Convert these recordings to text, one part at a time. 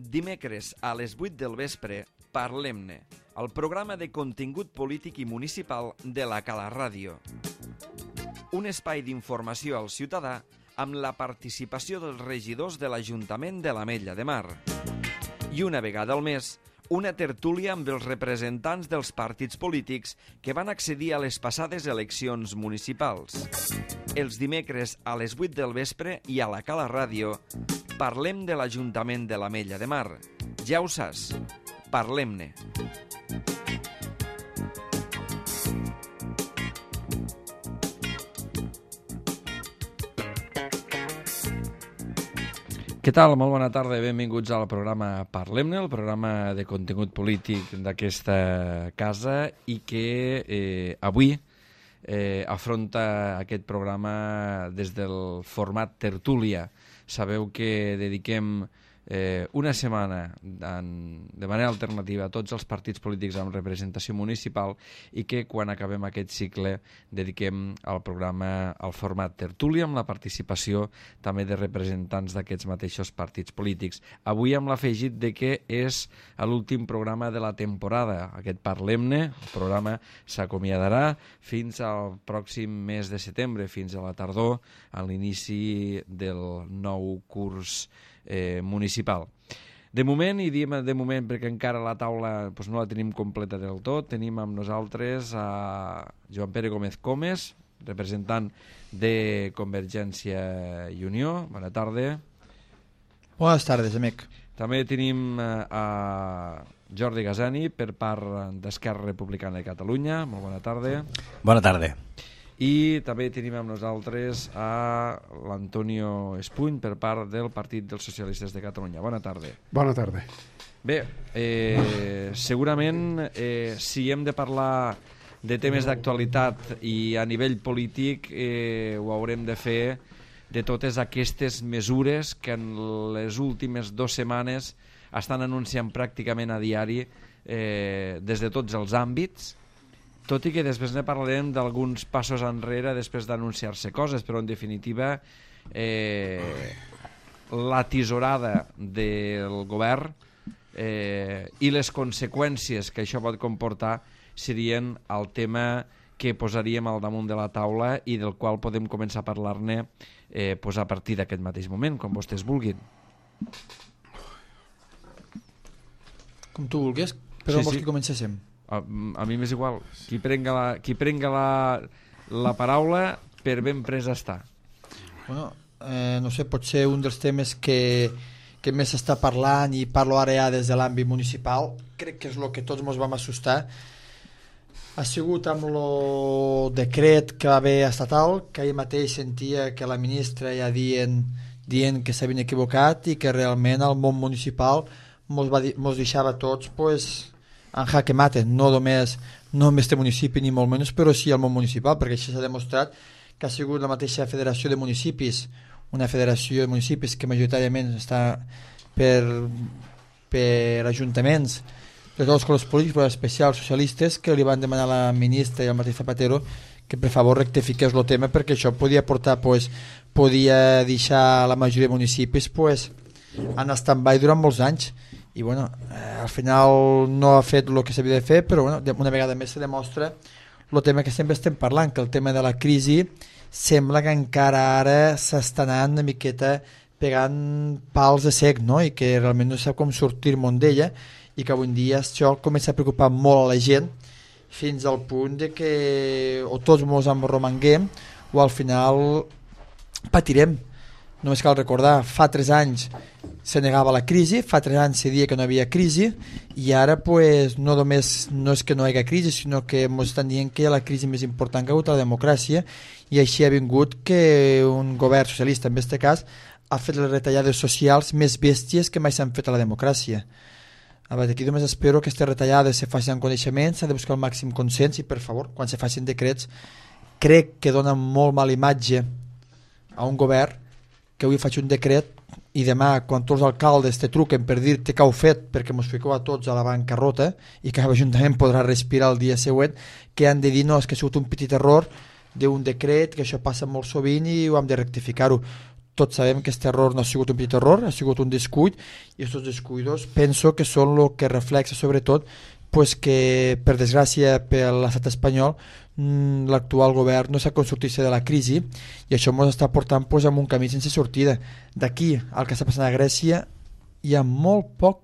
Dimecres a les 8 del vespre, Parlem-ne, el programa de contingut polític i municipal de la Cala Ràdio. Un espai d'informació al ciutadà amb la participació dels regidors de l'Ajuntament de l'Ametlla de Mar. I una vegada al mes, una tertúlia amb els representants dels partits polítics que van accedir a les passades eleccions municipals. Els dimecres a les 8 del vespre i a la Cala Ràdio parlem de l'Ajuntament de l'Ametlla de Mar. Ja ho saps, parlem-ne. Què tal? Molt bona tarda i benvinguts al programa Parlem-ne, el programa de contingut polític d'aquesta casa i que avui afronta aquest programa des del format tertúlia. Sabeu que dediquem una setmana de manera alternativa a tots els partits polítics amb representació municipal i que quan acabem aquest cicle dediquem al programa al format tertúlia amb la participació també de representants d'aquests mateixos partits polítics. Avui amb l'afegit de que és l'últim programa de la temporada. Aquest Parlem-ne, el programa s'acomiadarà fins al pròxim mes de setembre, fins a la tardor, a l'inici del nou curs municipal. De moment, i diem de moment perquè encara la taula no la tenim completa del tot, tenim amb nosaltres a Joan Pere Gómez Comes, representant de Convergència i Unió. Bona tarda. Bones tardes, amic. També tenim a Jordi Gasani per part d'Esquerra Republicana de Catalunya. Molt bona tarda. Bona tarda. I també tenim amb nosaltres a l'Antonio Espuny per part del Partit dels Socialistes de Catalunya. Bona tarda. Bona tarda. Bé, segurament si hem de parlar de temes d'actualitat i a nivell polític ho haurem de fer de totes aquestes mesures que en les últimes 2 setmanes estan anunciant pràcticament a diari des de tots els àmbits, tot i que després ne parlarem d'alguns passos enrere després d'anunciar-se coses, però en definitiva la tisorada del govern i les conseqüències que això pot comportar serien el tema que posaríem al damunt de la taula i del qual podem començar a parlar-ne a partir d'aquest mateix moment, com vostès vulguin. Com tu vulguis, però vols que comencéssim? A mi m'és igual. Qui prenga la paraula per ben presa està. Bueno, no sé, pot ser un dels temes que més s'està parlant i parlo ara ja des de l'àmbit municipal. Crec que és el que tots ens vam assustar. Ha sigut amb el decret que va haver estatal, que ahir mateix sentia que la ministra ja dient que s'havien equivocat i que realment el món municipal mos deixava tots en jaque mate, no només este municipi ni molt menys, però sí el món municipal, perquè això s'ha demostrat que ha sigut la mateixa federació de municipis, una federació de municipis que majoritàriament està per ajuntaments de tots els colors polítics, però especials socialistes, que li van demanar a la ministra i al mateix Zapatero que per favor rectifiqués el tema, perquè això podia portar, podia deixar la majoria de municipis en stand-by durant molts anys. I bueno, al final no ha fet el que s'havia de fer, però bueno, una vegada més se demostra el tema que sempre estem parlant, que el tema de la crisi sembla que encara ara s'està anant una miqueta pegant pals de sec, no? I que realment no sap com sortir-me'n d'ella i que avui en dia això comença a preocupar molt a la gent fins al punt de que o tots ens enromanguem o al final patirem. Només cal recordar, fa 3 anys se negava la crisi, fa 3 anys se dia que no hi havia crisi i ara no només no és que no hi hagi crisi, sinó que ens estan dient que la crisi més important que ha hagut a la democràcia i així ha vingut que un govern socialista, en aquest cas, ha fet les retallades socials més bèsties que mai s'han fet a la democràcia. Aquí només espero que aquestes retallades se facin en coneixement, s'ha de buscar el màxim consens i per favor, quan se facin decrets, crec que donen molt mala imatge a un govern que avui faig un decret i demà quan tots els alcaldes te truquen per dir-te que heu fet perquè mos fiqueu a tots a la bancarrota i que l'Ajuntament podrà respirar el dia següent, que han de dir no, és que ha sigut un petit error d'un decret, que això passa molt sovint i ho hem de rectificar-ho. tots sabem que aquest error no ha sigut un petit error, ha sigut un descuit, i aquests descuidos penso que són el que reflexa sobretot pues que, per desgràcia per l'estat espanyol, l'actual govern no s'ha sortit de la crisi, i això ens està portant pues, en un camí sense sortida. D'aquí al que està passant a Grècia hi ha molt poc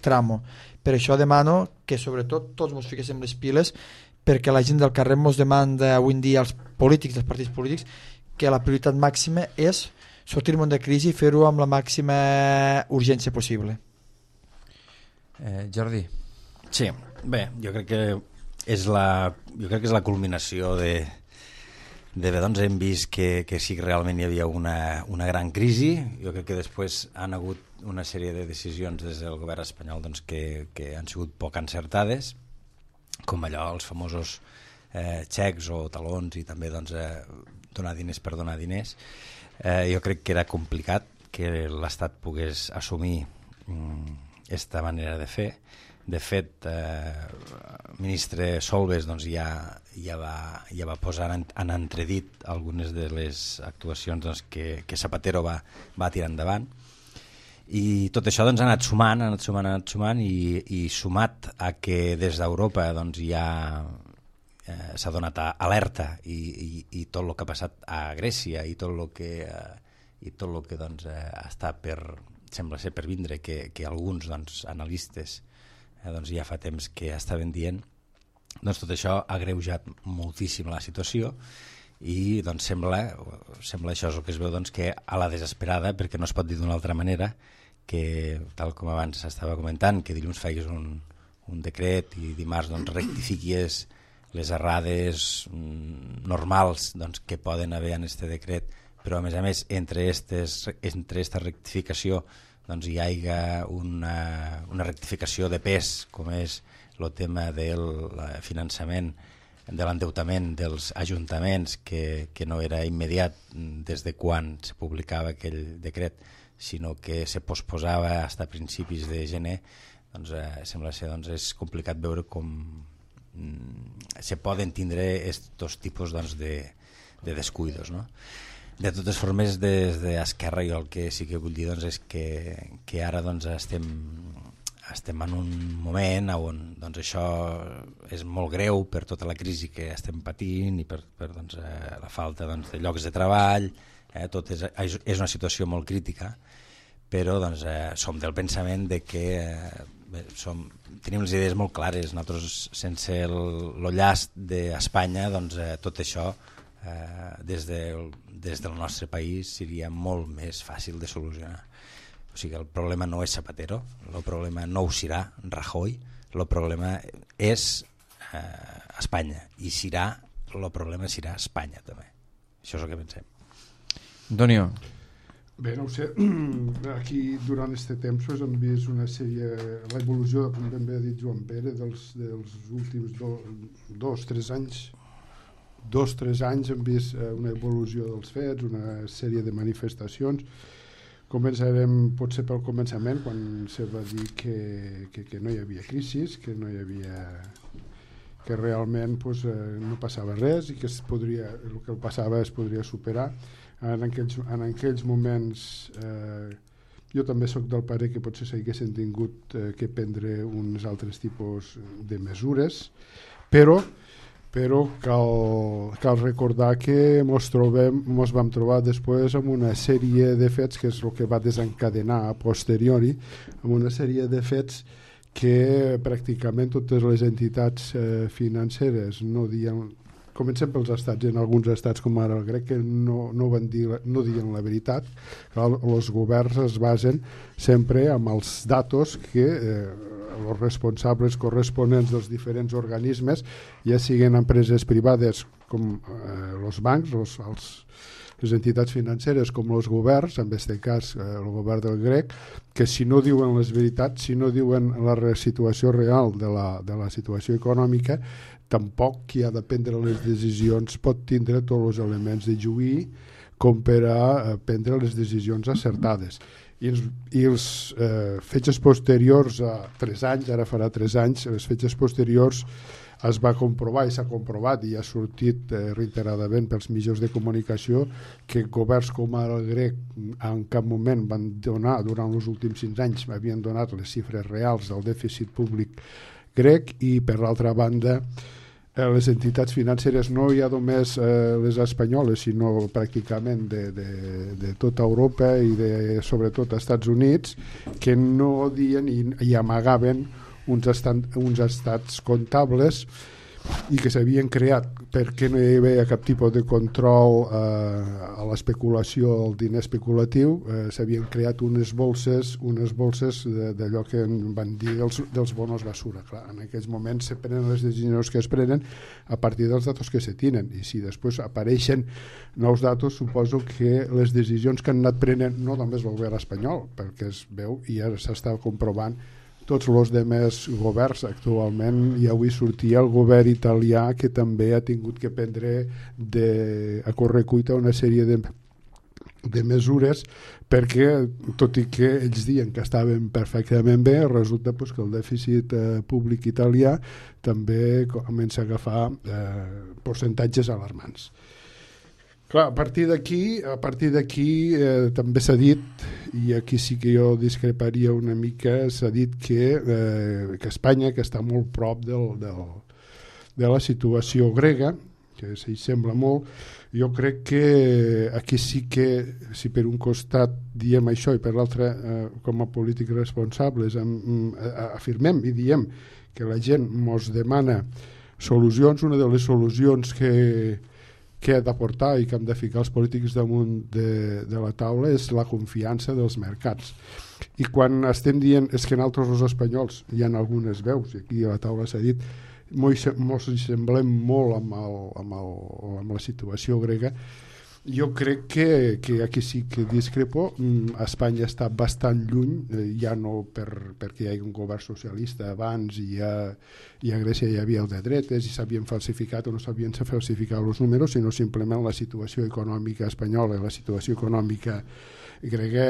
tramo. Per això demano que sobretot tots ens fiquéssim les piles, perquè la gent del carrer ens demanda avui en dia als polítics, als partits polítics, que la prioritat màxima és sortir-nos de crisi i fer-ho amb la màxima urgència possible. Jordi. Sí, bé, jo crec que és la culminació de doncs hem vist que sí que realment hi havia una gran crisi. Jo crec que després han hagut una sèrie de decisions des del govern espanyol doncs, que han sigut poc encertades, com allò, els famosos xecs o talons, i també doncs, donar diners per donar diners. Jo crec que era complicat que l'Estat pogués assumir aquesta manera de fer. De fet, el ministre Solbes doncs, ja va posar en entredit algunes de les actuacions doncs, que Zapatero va tirar endavant. I tot això doncs, ha anat sumant i sumat a que des d'Europa doncs, ja s'ha donat alerta i tot el que ha passat a Grècia i tot el que doncs, està sembla ser per vindre, que alguns doncs, analistes doncs ja fa temps que estaven dient, doncs tot això ha agreujat moltíssim la situació i doncs sembla això és el que es veu doncs, que a la desesperada, perquè no es pot dir d'una altra manera, que tal com abans s'estava comentant, que dilluns faiguis un decret i dimarts doncs, rectifiquis les errades normals doncs, que poden haver en aquest decret, però a més entre aquesta rectificació doncs hi hagi una rectificació de pes, com és el tema del finançament, de l'endeutament dels ajuntaments, que no era immediat des de quan se publicava aquell decret, sinó que se posposava fins a principis de gener, doncs sembla ser doncs, és complicat veure com se poden tindre aquests tipus doncs, de descuidos, no? De totes formes, des d'Esquerra jo el que sí que vull dir doncs, és que ara doncs, estem en un moment on doncs, això és molt greu per tota la crisi que estem patint i per doncs, la falta doncs, de llocs de treball, tot és una situació molt crítica, però doncs, som del pensament de que tenim les idees molt clares. Nosaltres, sense el llast d'Espanya, doncs, tot això des del nostre país seria molt més fàcil de solucionar. O sigui, el problema no és Zapatero, el problema no ho serà Rajoy, el problema és Espanya, i el problema serà Espanya també. Això és el que pensem. Antonio. Bé, no ho sé, aquí durant aquest temps hem vist una sèrie, l'evolució, com ben bé ha dit Joan Pere, dels últims 2-3 anys. 2-3 anys hem vist una evolució dels fets, una sèrie de manifestacions. Començarem potser pel començament, quan se va dir que no hi havia crisi, que no hi havia, que realment pues, no passava res i que el que passava es podria superar. En aquells moments jo també sóc del pare que potser s'haguessin tingut que prendre uns altres tipus de mesures, però cal recordar que ens vam trobar després amb una sèrie de fets, que és el que va desencadenar a posteriori, amb una sèrie de fets que pràcticament totes les entitats financeres no dien, comencem pels estats, en alguns estats com ara el grec, que no diuen la veritat. Els governs es basen sempre amb els datos que els responsables corresponents dels diferents organismes, ja siguin empreses privades com els bancs, les entitats financeres com els governs, en aquest cas el govern del grec, que si no diuen les veritats, si no diuen la situació real de la situació econòmica, tampoc qui ha de prendre les decisions pot tindre tots els elements de juí com per a prendre les decisions acertades. I els fets posteriors a 3 anys, ara farà 3 anys, les fets posteriors es va comprovar i s'ha comprovat i ha sortit reiteradament pels mitjans de comunicació que governs com el grec en cap moment van donar, durant els últims 5 anys, havien donat les xifres reals del dèficit públic grec, i per l'altra banda les entitats financeres, no ja només les espanyoles, sinó pràcticament de tota Europa i sobretot als Estats Units, que no dien i amagaven uns estats comptables i que s'havien creat perquè no hi havia cap tipus de control a l'especulació, al diner especulatiu. S'havien creat unes bolses d'allò que van dir dels bonos basura. Clar, en aquells moments se prenen les decisions que es prenen a partir dels datos que se tenen, i si després apareixen nous datos, suposo que les decisions que han anat prenent no només el govern espanyol, perquè es veu i ja s'està comprovant tots els demés governs actualment. I avui sortia el govern italià, que també ha tingut que prendre a correcuita una sèrie de mesures, perquè tot i que ells diuen que estaven perfectament bé, resulta que el dèficit públic italià també comença a agafar percentatges alarmants. Clar, a partir d'aquí també s'ha dit, i aquí sí que jo discreparia una mica, s'ha dit que Espanya, que està molt prop de la situació grega, que s'hi sembla molt, jo crec que aquí sí que, si per un costat diem això i per l'altre com a polítics responsables afirmem i diem que la gent mos demana solucions, una de les solucions que ha d'aportar i que hem de ficar els polítics damunt de la taula és la confiança dels mercats. I quan estem dient és que nosaltres els espanyols hi ha algunes veus, i aquí a la taula s'ha dit, mos semblem molt amb la situació grega. Jo crec que aquí sí que discrepo. Espanya està bastant lluny, ja no perquè hi hagi un govern socialista abans, i a Grècia hi havia el de dretes i s'havien falsificat o no s'havien falsificat els números, sinó simplement la situació econòmica espanyola i la situació econòmica grega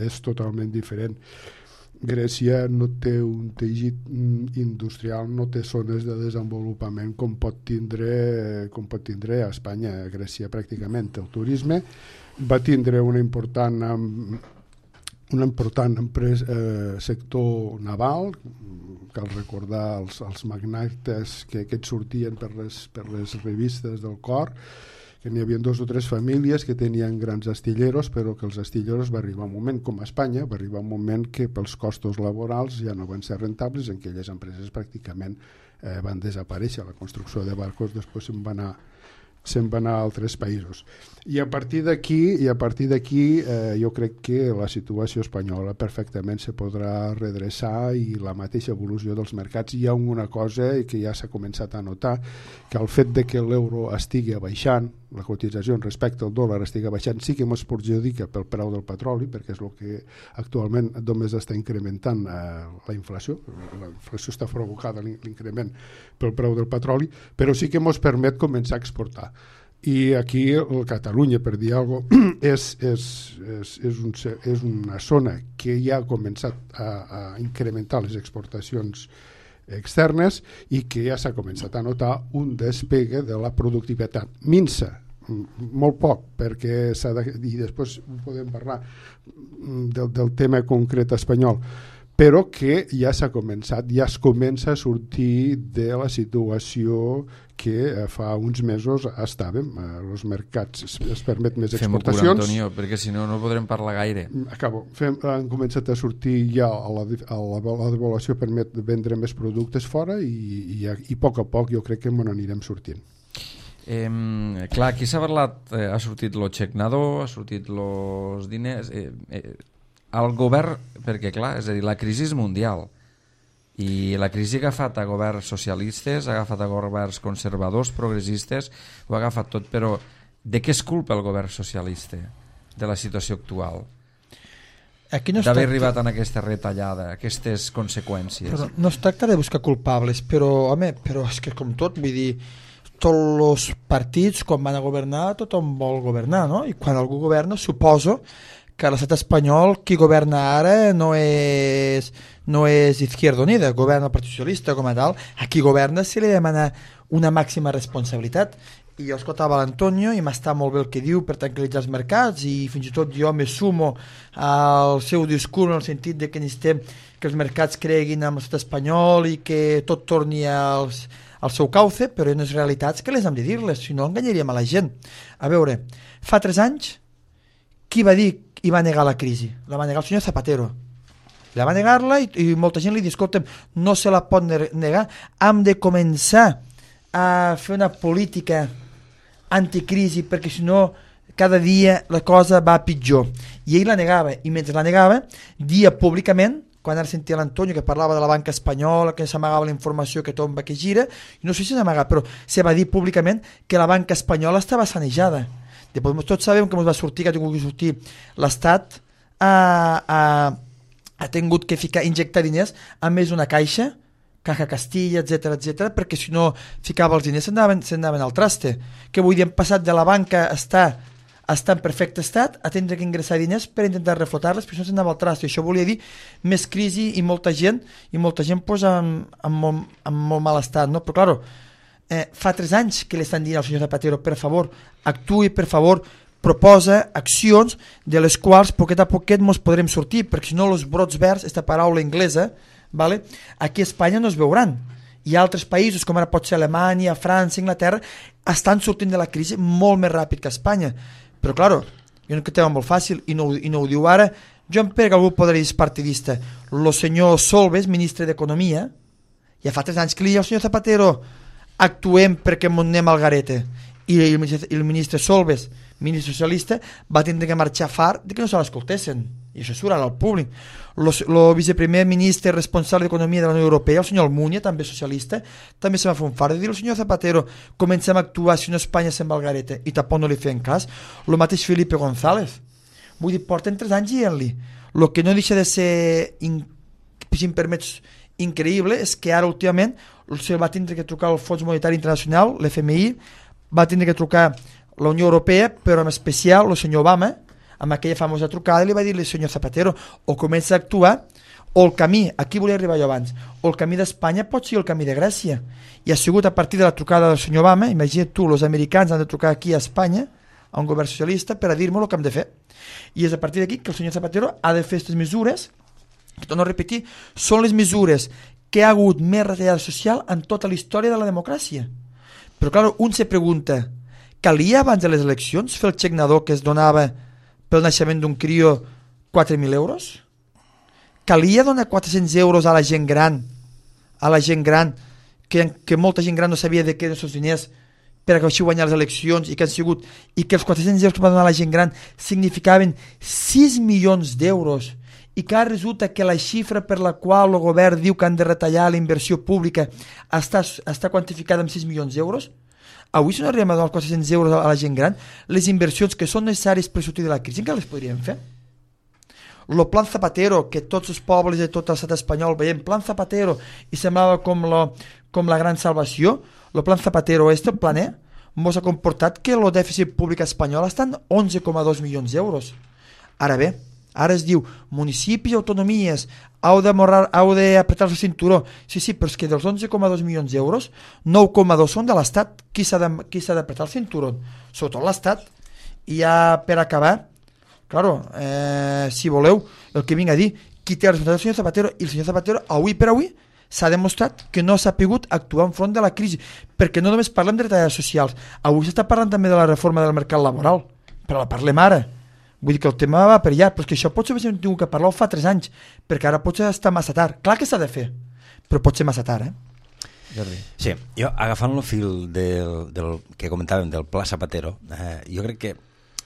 és totalment diferent. Grècia no té un teixit industrial, no té zones de desenvolupament com pot tindre a Espanya. Grècia pràcticament el turisme va tindre una important sector naval. Cal recordar els magnates que aquests sortien per les revistes del cor, que n'hi havia 2 o 3 famílies que tenien grans astilleros, però que els astilleros va arribar un moment, com a Espanya, va arribar un moment que pels costos laborals ja no van ser rentables, en aquelles empreses pràcticament van desaparèixer. La construcció de barcos després se'n va anar a altres països. I a partir d'aquí jo crec que la situació espanyola perfectament se podrà redreçar, i la mateixa evolució dels mercats. Hi ha una cosa que ja s'ha començat a notar, que el fet de que l'euro estigui baixant, la cotització respecte al dòlar estigui baixant, sí que ens perjudica pel preu del petroli, perquè és el que actualment només està incrementant la inflació. La inflació està provocada, l'increment pel preu del petroli, però sí que ens permet començar a exportar. I aquí Catalunya, per dir alguna cosa, és una zona que ja ha començat a incrementar les exportacions externes i que ja s'ha començat a notar un despegue de la productivitat. Minsa, molt poc, perquè i després podem parlar del tema concret espanyol, però que ja s'ha començat, ja es comença a sortir de la situació que fa uns mesos estàvem. Els mercats es permet més exportacions. Fem-ho cura, Antonio, perquè si no, no podrem parlar gaire. Acabo. Han començat a sortir ja la devaluació permet vendre més productes fora i a poc jo crec que me n'anirem sortint. Clar, aquí s'ha parlat, ha sortit lo xec nadó, ha sortit los diners, el govern, perquè clar, és a dir, la crisi és mundial i la crisi ha agafat a governs socialistes, ha agafat a governs conservadors, progressistes, ho ha agafat tot, però de què és culpa el govern socialista de la situació actual? D'haver arribat en aquesta retallada, aquestes conseqüències? Però no es tracta de buscar culpables, però és que com tot, vull dir, tots els partits quan van a governar tothom vol governar, no? I quan algú governa suposo que a l'estat espanyol qui governa ara no és Izquierda Unida, governa el Partit Socialista com a tal. A qui governa se li demana una màxima responsabilitat. I jo escoltava l'Antonio i m'està molt bé el que diu per tranquil·litzar els mercats, i fins i tot jo me sumo al seu discurs en el sentit de que necessitem que els mercats creguin en l'estat espanyol i que tot torni al seu cauce, però hi ha unes realitats que les hem de dir-les, si no enganyaríem a la gent. A veure, fa 3 anys qui va dir i va negar la crisi? La va negar el senyor Zapatero. La va negar-la i molta gent li diu, escolta'm, no se la pot negar, hem de començar a fer una política anticrisi perquè si no cada dia la cosa va pitjor. I ell la negava, i mentre la negava dia públicament, quan ara sentia l'Antonio que parlava de la banca espanyola, que s'amagava la informació que tomba que gira, i no sé si s'amaga, però se va dir públicament que la banca espanyola estava sanejada. Després tots sabem que ens va sortir, que ha tingut que sortir l'Estat ha tingut que injectar diners a més d'una caixa, Caja Castilla, etc, perquè si no ficava els diners s'anaven al traste. Que vull dir, hem passat de la banca a estar en perfecte estat a tindre que ingressar diners per intentar reflotar-les, però això s'anava al traste. Això volia dir més crisi i molta gent pues, en molt mal estat, no? Però claro, fa 3 anys que li estan dient al senyor Zapatero, per favor, actuï, per favor, proposa accions de les quals poquet a poquet ens podrem sortir, perquè si no els brots verds, aquesta paraula anglesa, vale? Aquí a Espanya no es veuran. Hi ha altres països, com ara pot ser Alemanya, França, Inglaterra, estan sortint de la crisi molt més ràpid que Espanya. Però, claro, jo no que tema molt fàcil, i no ho diu ara, jo em pega que algú podrà dir partidista. El senyor Solbes, ministre d'Economia, ja fa 3 anys que li diu al senyor Zapatero, actuem perquè ens anem al garete. I el ministre Solbes, ministre socialista, va tindre que marxar fart de que no se l'escoltessin. I això surt ara al públic. El viceprimer ministre responsable d'Economia de la Unió Europea, el senyor Almunia, també socialista, també se va fer un fart de dir al senyor Zapatero, comencem a actuar si no Espanya se'n va al garete, i tampoc no li feien cas. El mateix Felipe González. Vull dir, porten 3 anys dient-li. El que no deixa de ser, si em permets, increïble, és que ara últimament se va tindre que trucar al Fons Monetari Internacional, l'FMI, va tindre que trucar la Unió Europea, però en especial el senyor Obama, amb aquella famosa trucada, li va dir al senyor Zapatero, o comença a actuar, o el camí, aquí volia arribar jo abans, o el camí d'Espanya pot ser el camí de Grècia. I ha sigut a partir de la trucada del senyor Obama, imagina't tu, els americans han de trucar aquí a Espanya, a un govern socialista, per a dir-me el que hem de fer. I és a partir d'aquí que el senyor Zapatero ha de fer aquestes mesures, que torno a repetir, són les mesures que ha hagut més retallada social en tota la història de la democràcia. Però, clar, un se pregunta, calia abans de les eleccions fer el xec nadó que es donava pel naixement d'un crió 4.000 euros? Calia donar 400 euros a la gent gran, que molta gent gran no sabia de què eren els diners per a així guanyar les eleccions i que els 400 euros que va donar la gent gran significaven 6 milions d'euros i que ara resulta que la xifra per la qual el govern diu que han de retallar la inversió pública està quantificada en 6 milions d'euros. Avui si no arribem a donar 400 euros a la gent gran, les inversions que són necessàries per sortir de la crisi encara les podríem fer. El plan Zapatero, que tots els pobles de tot l'estat espanyol veiem plan Zapatero i semblava com la gran salvació, el plan Zapatero el plan ens ha comportat que el dèficit públic espanyol està en 11,2 milions d'euros. Ara bé, ara es diu municipis i autonomies heu d'apretar el cinturó. Sí, però és que dels 11,2 milions d'euros 9,2 són de l'Estat. Qui s'ha d'apretar el cinturó? Sobretot l'Estat. I ja per acabar, claro, si voleu, el que vinc a dir, qui té la responsabilitat del senyor Zapatero, i el senyor Zapatero avui per avui s'ha demostrat que no s'ha pogut actuar enfront de la crisi, perquè no només parlem de retallades socials, avui s'està parlant també de la reforma del mercat laboral, però la parlem ara. Vull dir que el tema va per allà, però és que això potser hem tingut que parlar fa 3 anys, perquè ara potser està massa tard. Clar que s'ha de fer, però pot ser massa tard, Jordi. Sí, jo agafant el fil del que comentàvem del Pla Zapatero, jo crec que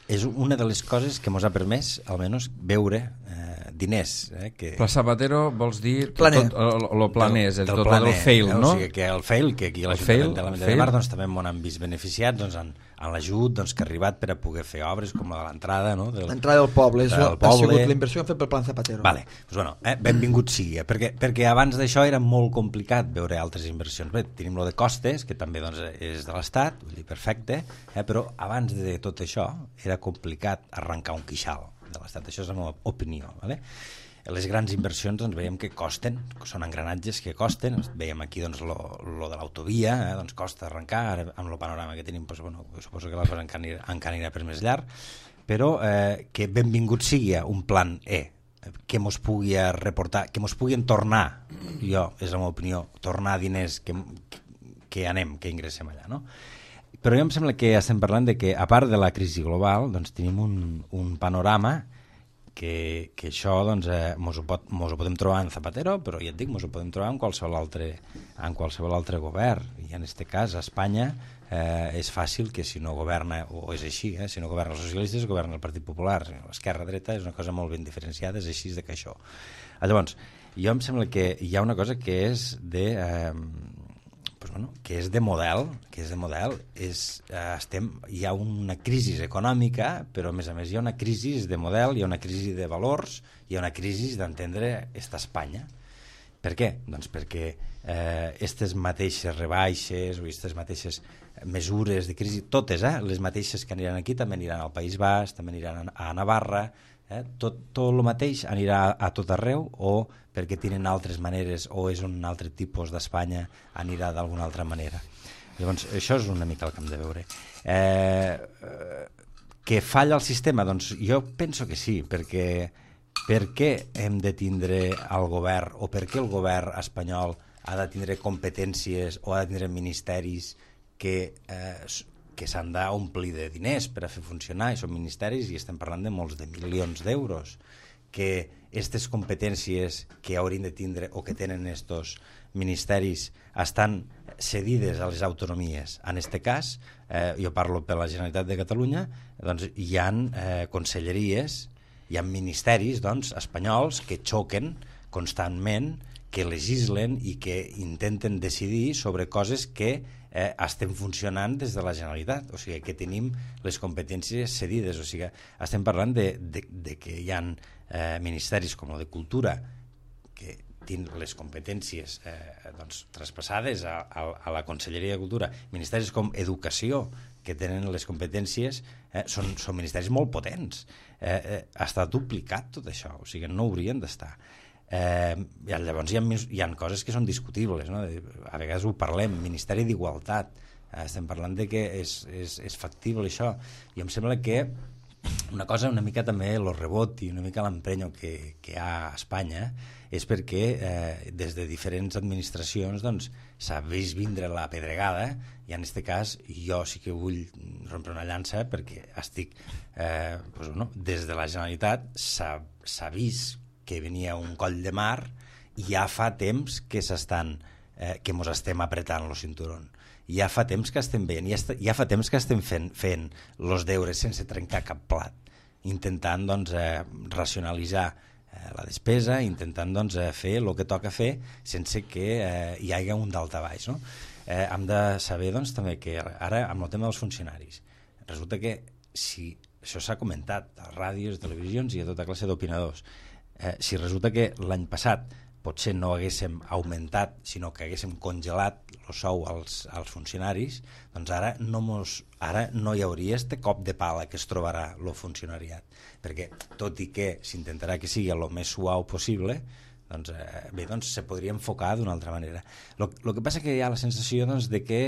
és una de les coses que ens ha permès, almenys, veure diners. Pla Zapatero vols dir el planès, del fail, no? O sigui, que el fail, que aquí a l'Ajuntament de Mar també m'ho han vist beneficiats en l'ajut que ha arribat per a poder fer obres com l'entrada, no? L'entrada del poble, ha sigut la inversió que han fet pel Plan Zapatero. Vale, benvingut sigui, perquè abans d'això era molt complicat veure altres inversions. Bé, tenim lo de Costes, que també és de l'Estat, vull dir, perfecte, però abans de tot això era complicat arrencar un quixal. de l'Estat. Això és la meva opinió. Vale? Les grans inversions doncs, veiem que costen, són engranatges que costen, veiem aquí doncs, lo de l'autovia, doncs costa arrencar, ara amb el panorama que tenim doncs, bueno, suposo que la cosa encara anirà per més llarg, però que benvingut sigui un plan que mos pugui reportar, que mos puguin tornar, jo, és la meva opinió, tornar diners que anem, que ingressem allà, no? Però jo em sembla que estem parlant de que, a part de la crisi global, doncs tenim un panorama que això doncs, mos ho podem trobar en Zapatero, però ja et dic, mos ho podem trobar en qualsevol altre govern. I en aquest cas, a Espanya, és fàcil que si no governa, o és així, si no governa els socialistes, governa el Partit Popular. L'esquerra-dreta és una cosa molt ben diferenciada, és així que això. Llavors, jo em sembla que hi ha una cosa que és de... que és de model, hi ha una crisi econòmica, però a més hi ha una crisi de model, hi ha una crisi de valors, hi ha una crisi d'entendre esta Espanya. Per què? Doncs perquè aquestes mateixes rebaixes o aquestes mateixes mesures de crisi, totes, les mateixes que aniran aquí també aniran al País Basc, també aniran a Navarra, tot el mateix anirà a tot arreu, o perquè tenen altres maneres, o és un altre tipus d'Espanya, anirà d'alguna altra manera. Llavors, això és una mica el que hem de veure. Que falla el sistema? Doncs jo penso que sí, perquè per què hem de tindre el govern, o per què el govern espanyol ha de tindre competències o ha de tindre ministeris que s'han d'omplir de diners per a fer funcionar, i són ministeris i estem parlant de molts de milions d'euros, que aquestes competències que haurien de tindre o que tenen estos ministeris estan cedides a les autonomies. En aquest cas, jo parlo per la Generalitat de Catalunya, doncs hi ha conselleries, hi ha ministeris doncs, espanyols que xoquen constantment, que legislen i que intenten decidir sobre coses que estem funcionant des de la Generalitat, o sigui que tenim les competències cedides, o sigui estem parlant de que hi ha ministeris com el de Cultura que tenen les competències doncs, traspassades a la Conselleria de Cultura, ministeris com Educació que tenen les competències, són ministeris molt potents, està duplicat tot això, o sigui no haurien d'estar. Llavors hi ha coses que són discutibles, no? A vegades ho parlem, Ministeri d'Igualtat, estem parlant de que és factible això, i em sembla que una cosa una mica també el rebot i una mica l'emprenyo que hi ha a Espanya és perquè des de diferents administracions doncs, s'ha vist vindre la pedregada, i en aquest cas jo sí que vull rompre una llança perquè estic des de la Generalitat s'ha vist que venia un coll de mar i ja fa temps que que mos estem apretant el cinturó. Ja fa temps que estem veient, ja fa temps que estem fent els deures sense trencar cap plat, intentant doncs, racionalitzar la despesa, intentant doncs, fer el que toca fer sense que hi hagi un daltabaix. No? Hem de saber doncs, també que ara amb el tema dels funcionaris resulta que si això s'ha comentat a ràdios, televisions i a tota classe d'opinadors, si resulta que l'any passat potser no haguéssim augmentat, sinó que haguéssim congelat el sou als funcionaris, doncs ara no hi hauria este cop de pala que es trobarà el funcionariat, perquè tot i que s'intentarà que sigui el més suau possible, doncs, doncs se podria enfocar d'una altra manera. El que passa que hi ha la sensació doncs, de que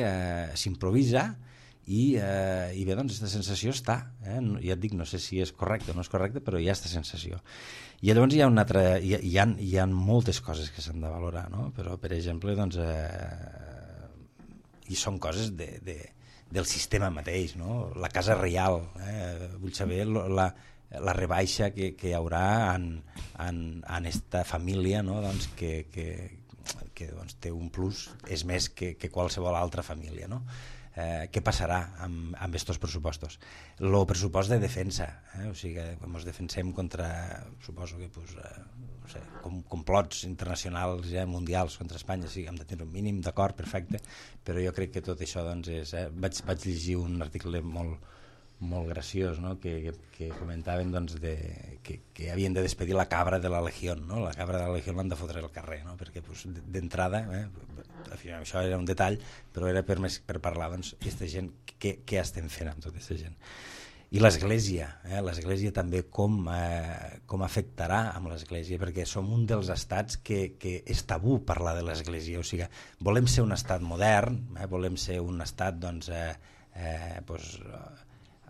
s'improvisa i bé, doncs aquesta sensació està, ja et dic, no sé si és correcte o no és correcte, però hi ha aquesta sensació. I llavors hi ha moltes coses que s'han de valorar, no? Però per exemple doncs, i són coses del sistema mateix, no? La Casa Reial, vull saber la rebaixa que hi haurà en esta família, no? Doncs que doncs, té un plus, és més que qualsevol altra família, no? Què passarà amb aquests pressupostos? El pressupost de defensa, o sigui, quan ens defensem contra, suposo que no sé, complots internacionals mundials contra Espanya, sí, hem de tenir un mínim d'acord, perfecte, però jo crec que tot això doncs, vaig llegir un article molt graciós, no? que comentaven doncs, que havien de despedir la cabra de la Legión, no? La cabra de la Legión l'han de fotre al carrer, no? Perquè pues, d'entrada, això era un detall, però era per parlar doncs, aquesta gent, què estem fent amb tota aquesta gent. I l'Església també com afectarà amb l'Església, perquè som un dels estats que és tabú parlar de l'Església, o sigui, volem ser un estat modern, volem ser un estat doncs,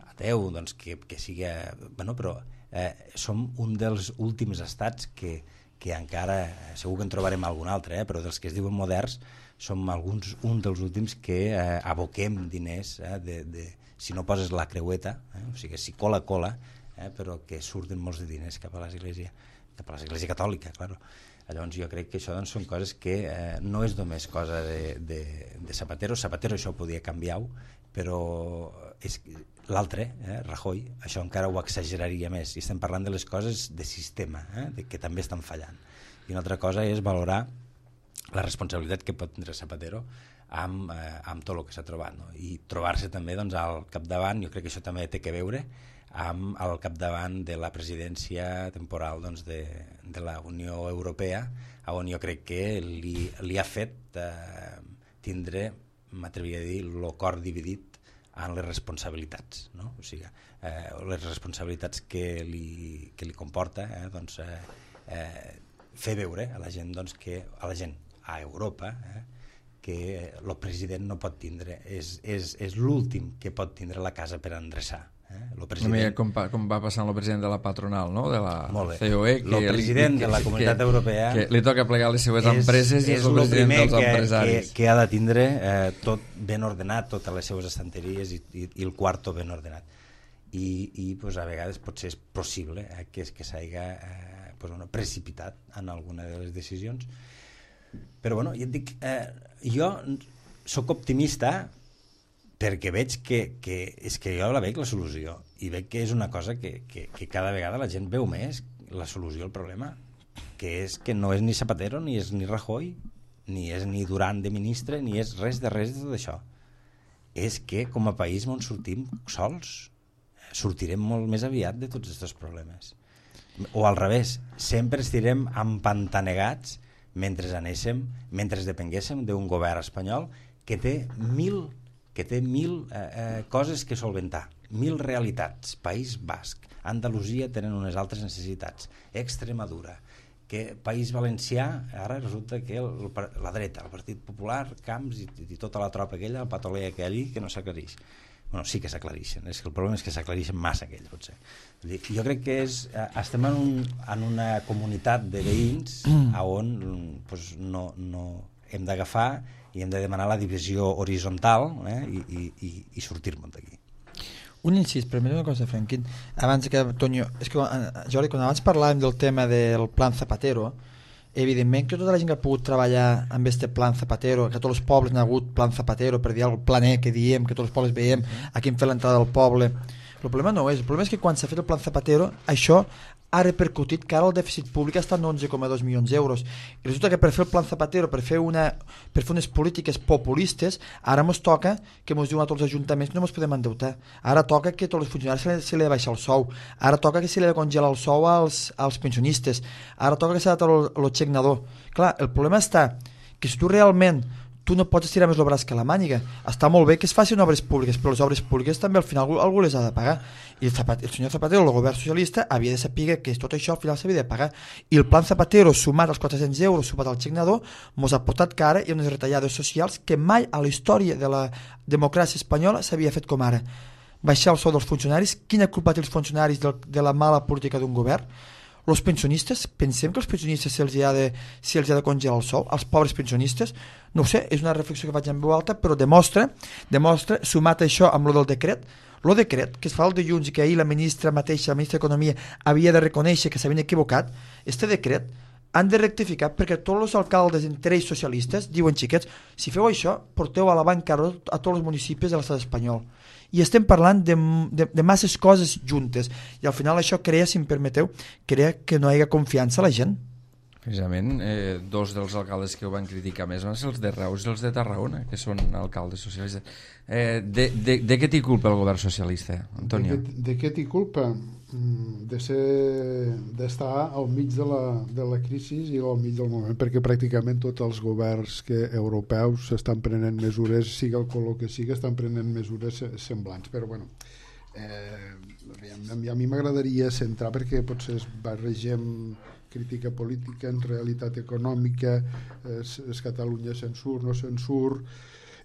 ateu, doncs, que sigui... Bueno, però som un dels últims estats que encara, segur que en trobarem algun altre, però dels que es diuen moderns, som un dels últims que aboquem diners si no poses la creueta, o sigui, si cola, però que surten molts de diners cap a l'Església catòlica, clar. Llavors jo crec que això doncs, són coses que no és només cosa de Zapatero. Zapatero això ho podia canviar, però l'altre, Rajoy, això encara ho exageraria més. I estem parlant de les coses de sistema, que també estan fallant. I una altra cosa és valorar la responsabilitat que pot tindre Zapatero amb tot el que s'ha trobat, no? I trobar-se també doncs, al capdavant, jo crec que això també té que veure amb el capdavant de la presidència temporal doncs, de la Unió Europea, on jo crec que li ha fet tindre, m'atreviria a dir, el cor dividit en les responsabilitats, no? O sigui, les responsabilitats que li comporta doncs, fer veure a la gent, doncs, a Europa, que el president no pot tindre, és l'últim que pot tindre la casa per endreçar. Com va passar amb el president de la patronal, no? De la COE, el president de la Comunitat Europea, que li toca plegar les seues empreses, i és el president dels empresaris, que ha de tindre tot ben ordenat, totes les seues estanteries i el quarto ben ordenat, i a vegades potser és possible que s'hagi precipitat en alguna de les decisions. Però bueno, ja et dic, jo sóc optimista perquè veig que és que jo la veig la solució, i veig que és una cosa que cada vegada la gent veu més, la solució al problema, que és que no és ni Zapatero, ni és ni Rajoy, ni és ni Duran de ministre, ni és res de tot això. És que com a país on sortim sols, sortirem molt més aviat de tots aquests problemes. O al revés, sempre estirem empantanegats mentre depenguéssim d'un govern espanyol que té mil coses que solventar, 1000 realitats. País Basc, Andalusia tenen unes altres necessitats, Extremadura, que País Valencià, ara resulta que la dreta, el Partit Popular, Camps i tota la tropa aquella, el patoler aquell que no s'aclareix. Bueno, sí que s'aclareixen, és que el problema és que s'aclareixen massa aquells, potser. Jo crec que estem en una comunitat de veïns on no hem d'agafar i hem de demanar la divisió horitzontal i sortir-me'n d'aquí. Un incís, primer una cosa, Franquín, abans que Antonio, és que Jordi, quan abans parlàvem del tema del plan Zapatero, evidentment que tota la gent que ha pogut treballar amb este plan Zapatero, que tots els pobles han hagut plan Zapatero, per dir el plan E que diem, que tots els pobles veiem a quin fer l'entrada del poble, el problema no és, el problema és que quan s'ha fet el plan Zapatero això ha repercutit que ara el dèficit públic està en 11,2 milions d'euros, i resulta que per fer el plan Zapatero, per fer unes polítiques populistes, ara ens toca que ens diuen a tots els ajuntaments que no ens podem endeutar, ara toca que tots els funcionaris se li ha de baixar el sou, ara toca que se li ha de congelar el sou als pensionistes, ara toca que s'ha de treure el xec nadó. Clar, el problema està que si tu realment no pots estirar més el braç que la màniga. Està molt bé que es facin obres públiques, però les obres públiques també al final algú les ha de pagar, i el senyor Zapatero, el govern socialista, havia de saber que tot això al final s'havia de pagar, i el plan Zapatero sumat als 400 euros, sumat al xec nadó, ens ha portat que ara hi ha unes retallades socials que mai a la història de la democràcia espanyola s'havia fet com ara. Baixar el sou dels funcionaris, quina culpa té els funcionaris de la mala política d'un govern? Els pensionistes, pensem que els pensionistes se'ls ha de congelar el sou, als pobres pensionistes? No ho sé, és una reflexió que faig en veu alta, però demostra, sumat això amb el decret que es fa el dilluns i que ahir la ministra mateixa, la ministra d'Economia, havia de reconèixer que s'havien equivocat, este decret han de rectificar perquè tots els alcaldes, entre ells socialistes, diuen xiquets, si feu això, porteu a la bancarrota a tots els municipis de l'estat espanyol. I estem parlant de masses coses juntes, i al final això crea, si em permeteu, crea que no hi ha confiança a la gent. Precisament, dos dels alcaldes que ho van criticar més van ser els de Reus i els de Tarragona, que són alcaldes socialistes. De què t'hi culpa el govern socialista, Antonio? De què t'hi culpa? D'estar al mig de la crisi i al mig del moment, perquè pràcticament tots els governs europeus estan prenent mesures, sigui el color que sigui, estan prenent mesures semblants. Però bueno, A mi m'agradaria centrar, perquè potser barregem crítica política en realitat econòmica, és Catalunya se'n surt, no se'n surt.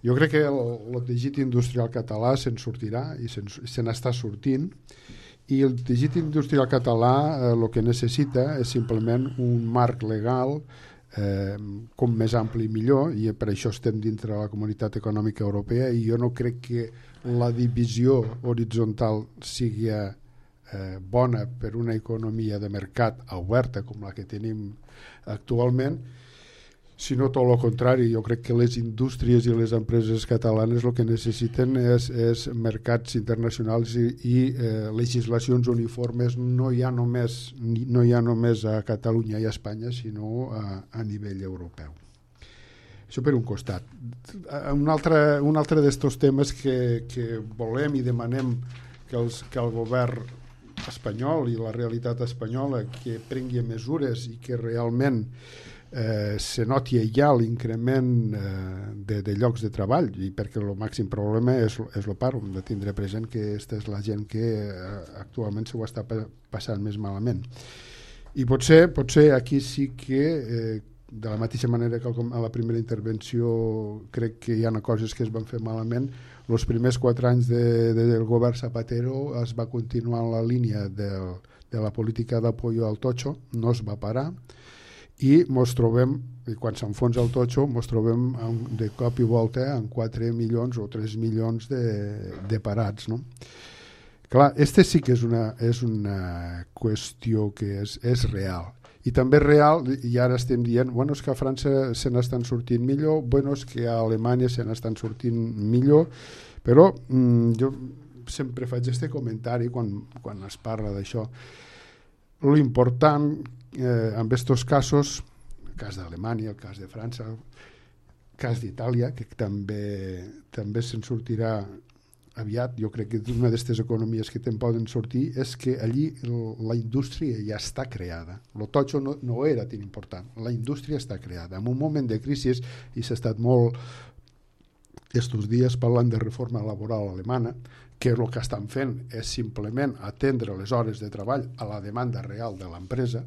Jo crec que el teixit industrial català se'n sortirà i se n'està sortint, i el teixit industrial català el que necessita és simplement un marc legal com més ampli millor, i per això estem dintre de la Comunitat Econòmica Europea, i jo no crec que la divisió horitzontal sigui bona per una economia de mercat oberta com la que tenim actualment, sinó tot el contrari. Jo crec que les indústries i les empreses catalanes el que necessiten és mercats internacionals i legislacions uniformes, no hi ha només a Catalunya i a Espanya, sinó a nivell europeu. Això per un costat. Un altre d'estos temes que volem i demanem que el govern espanyol i la realitat espanyola que prengui mesures i que realment se noti ja l'increment de llocs de treball, i perquè el màxim problema és el paro. Hem de tindre present que aquesta és la gent que actualment s'ho està passant més malament, i potser aquí sí que de la mateixa manera que a la primera intervenció crec que hi ha coses que es van fer malament. Els primers 4 anys del govern Zapatero es va continuar en la línia de la política d'apoyo al totxo, no es va parar, i mos trobem, quan s'enfonsa el totxo, mos trobem de cop i volta amb 4 milions o 3 milions de parats, no? Clar, sí que és una qüestió que és real, i també és real, i ara estem dient, bueno, és que a França se n'estan sortint millor, bueno, és que a Alemanya se n'estan sortint millor, però jo sempre faig aquest comentari quan es parla d'això. L'important en aquests casos, el cas d'Alemanya, el cas de França, el cas d'Itàlia, que també se'n sortirà aviat, jo crec que una d'aquestes economies que te'n poden sortir és que allí la indústria ja està creada. El totxo no era tan important, la indústria està creada. En un moment de crisi, i s'ha estat molt estos dies parlant de reforma laboral alemana, que el que estan fent és simplement atendre les hores de treball a la demanda real de l'empresa.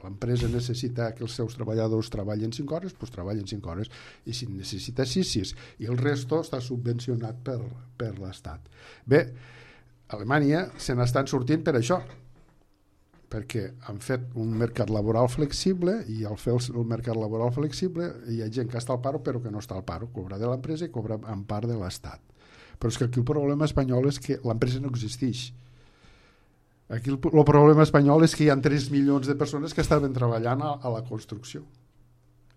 L'empresa necessita que els seus treballadors treballin 5 hores, doncs treballen 5 hores, i si necessita 6, i el resto està subvencionat per l'Estat. Bé, a Alemanya se n'estan sortint per això, perquè han fet un mercat laboral flexible, i al fer el mercat laboral flexible hi ha gent que està al paro però que no està al paro, cobra de l'empresa i cobra en part de l'Estat. Però és que aquí el problema espanyol és que l'empresa no existeix. Aquí el problema espanyol és que hi ha 3 milions de persones que estaven treballant a la construcció.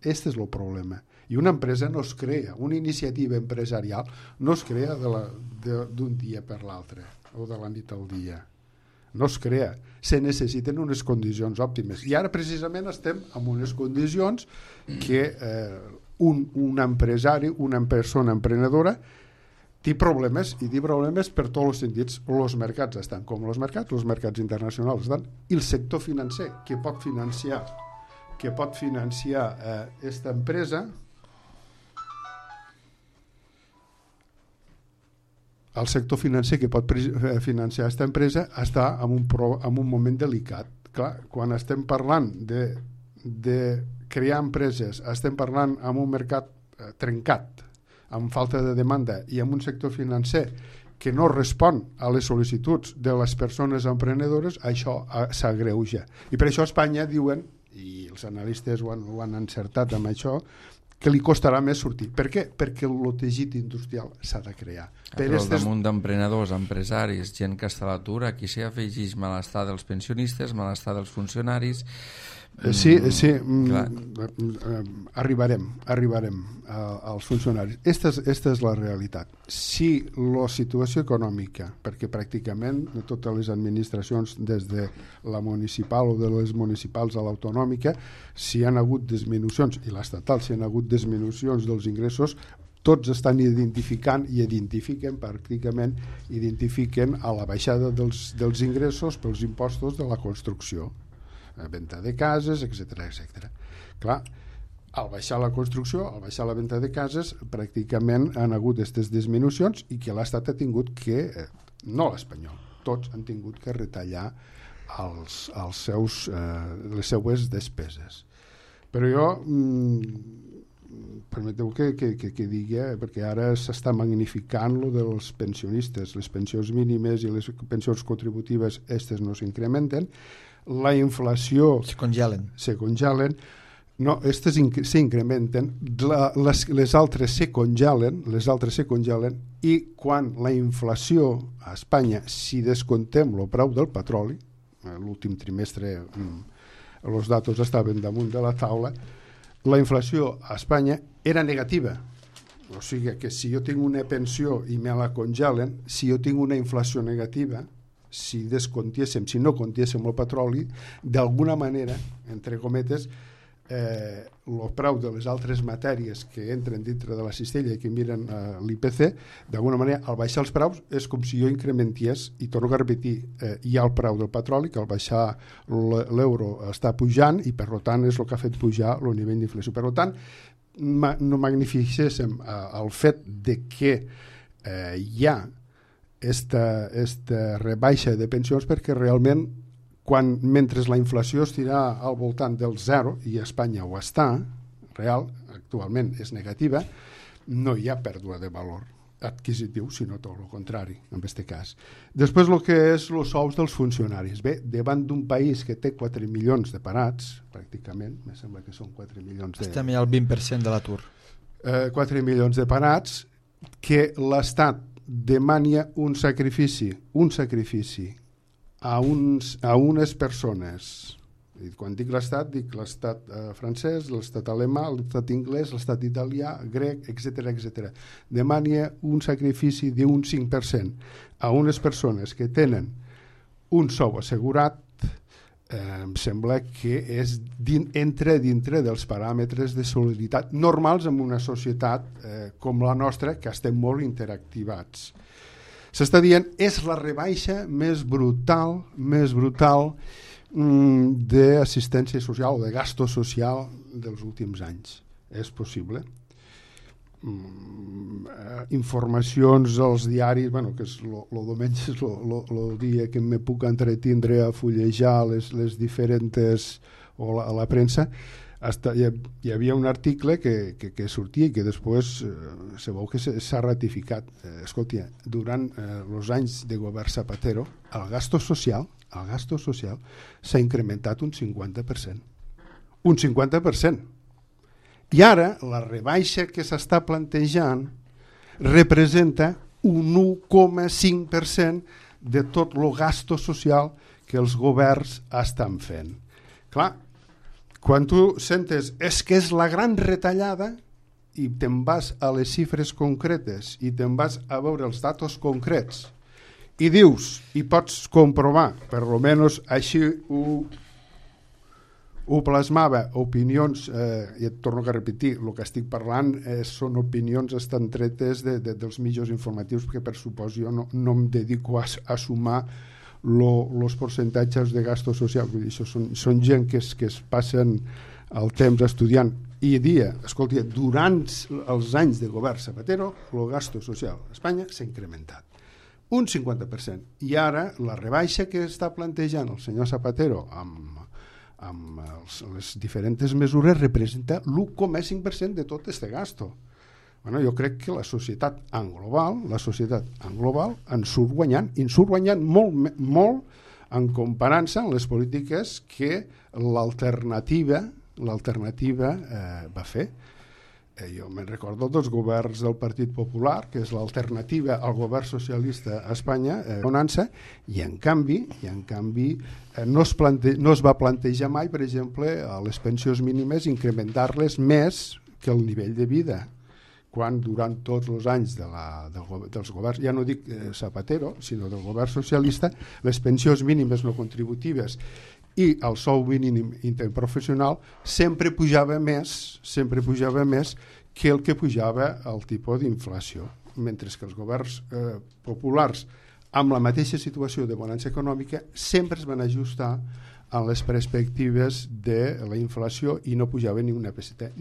Este és el problema. I una empresa no es crea, una iniciativa empresarial no es crea d'un dia per l'altre o de la nit al dia. No es crea. Se necessiten unes condicions òptimes. I ara precisament estem en unes condicions que un empresari, una persona emprenedora, té problemes, i té problemes per tots els sentits. Els mercats estan com els mercats internacionals estan, i el sector financer que pot financiar aquesta empresa, el sector financer que pot financiar aquesta empresa està en un moment delicat. Clar, quan estem parlant de crear empreses, estem parlant en un mercat trencat, amb falta de demanda, i amb un sector financer que no respon a les sol·licituds de les persones emprenedores, això s'agreuja. I per això a Espanya diuen, i els analistes ho han encertat amb això, que li costarà més sortir. Per què? Perquè el teixit industrial s'ha de crear. Però al damunt d'emprenedors, empresaris, gent que està a l'atur, aquí s'hi afegeix malestar dels pensionistes, malestar dels funcionaris. Sí, arribarem als funcionaris. Esta és la realitat. Si la situació econòmica, perquè pràcticament totes les administracions, des de la municipal o de les municipals a l'autonòmica, si han hagut disminucions, i l'estatal si han hagut disminucions dels ingressos, tots estan identificant i identifiquen a la baixada dels ingressos pels impostos de la construcció, venda de cases, etc. Clar, al baixar la construcció, al baixar la venda de cases, pràcticament han hagut aquestes disminucions, i que l'Estat ha tingut que no l'espanyol, tots han tingut que retallar les seues despeses. Però jo permeteu que digui, perquè ara s'està magnificant lo dels pensionistes, les pensions mínimes i les pensions contributives, aquestes no s'incrementen, la inflació se congelen. No, aquestes s'incrementen, les altres se congelen, i quan la inflació a Espanya, si descontem el preu del petroli, l'últim trimestre els datos estaven damunt de la taula, la inflació a Espanya era negativa. O sigui que si jo tinc una pensió i me la congelen, si jo tinc una inflació negativa, si no contiéssim el petroli, d'alguna manera, entre cometes, el preu de les altres matèries que entren dintre de la cistella i que miren l'IPC, d'alguna manera, al baixar els preus és com si jo incrementés, i torno a repetir, hi ha el preu del petroli, que al baixar l'euro està pujant, i per tant és el que ha fet pujar el nivell d'inflació. Per tant, no magnificéssim el fet de que hi ha esta rebaixa de pensions, perquè realment mentre la inflació estirà al voltant del 0, i a Espanya ho està, real, actualment és negativa, no hi ha pèrdua de valor adquisitiu, sinó tot el contrari, en aquest cas. Després, el que és els sous dels funcionaris. Bé, davant d'un país que té 4 milions de parats, pràcticament, me sembla que són 4 milions de... Estem ja al 20% de l'atur. 4 milions de parats, que l'Estat demania un sacrifici a unes persones. I quan dic l'estat francès, l'estat alemà, l'estat anglès, l'estat italià, grec, etc. Demania un sacrifici d'un 5% a unes persones que tenen un sou assegurat. Em sembla que entra dintre dels paràmetres de solidaritat normals en una societat com la nostra, que estem molt interactivats. S'està dient, és la rebaixa més brutal d'assistència social o de gasto social dels últims anys. És possible? Informacions als diaris, que és el diumenge és el dia que me puc entretindre a fullejar les diferents, o a la premsa. Hi havia un article que sortia i que després se veu que s'ha ratificat. Escolta, durant els anys de govern Zapatero, el gasto social s'ha incrementat un 50%. Un 50%. I ara la rebaixa que s'està plantejant representa un 1,5% de tot el gasto social que els governs estan fent. Clar, quan tu sentes és que és la gran retallada i te'n vas a les xifres concretes i te'n vas a veure els datos concrets i dius, i pots comprovar, per almenys així ho plasmava, opinions, i et torno a repetir, el que estic parlant són opinions estan tretes dels mitjans informatius, perquè per supòs jo no em dedico a sumar els percentatges de gasto social. Vull dir, això són gent que es passen el temps estudiant i escolta, durant els anys de govern Zapatero el gasto social a Espanya s'ha incrementat un 50%, i ara la rebaixa que està plantejant el senyor Zapatero amb les diferents mesures representa l'1,5% de tot aquest gasto. Jo crec que la societat en global en surt guanyant, i en surt guanyant molt en comparança amb les polítiques que l'alternativa va fer. Jo me'n recordo dels governs del Partit Popular, que és l'alternativa al govern socialista a Espanya, i en canvi no es va plantejar mai, per exemple, a les pensions mínimes incrementar-les més que el nivell de vida, quan durant tots els anys dels governs, ja no dic Zapatero, sinó del govern socialista, les pensions mínimes no contributives i el sou mínim interprofessional sempre pujava més que el que pujava el tipus d'inflació, mentre que els governs populars amb la mateixa situació de bonança econòmica sempre es van ajustar a les perspectives de la inflació i no pujava ni una peseta